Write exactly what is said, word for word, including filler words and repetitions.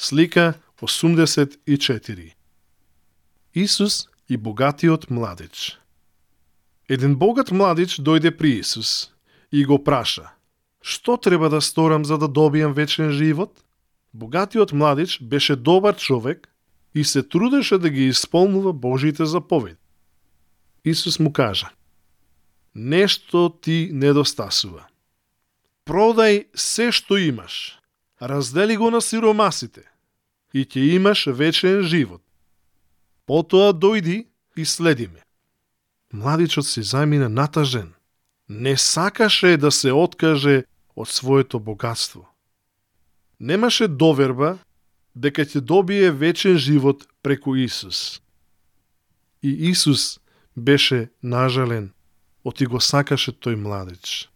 Слика осумдесет и четири. Исус и богатиот младич. Еден богат младич дојде при Исус и го праша: "Што треба да сторам за да добијам вечен живот?" Богатиот младич беше добар човек и се трудеше да ги исполнува Божите заповеди. Исус му кажа: "Нешто ти недостасува. Продај се што имаш, раздели го на сиромасите и ќе имаш вечен живот. Потоа дојди и следи ме." Младичот се замина натажен. Не сакаше да се откаже од своето богатство. Немаше доверба дека ќе добие вечен живот преку Исус. И Исус беше нажален, оти го сакаше тој младич.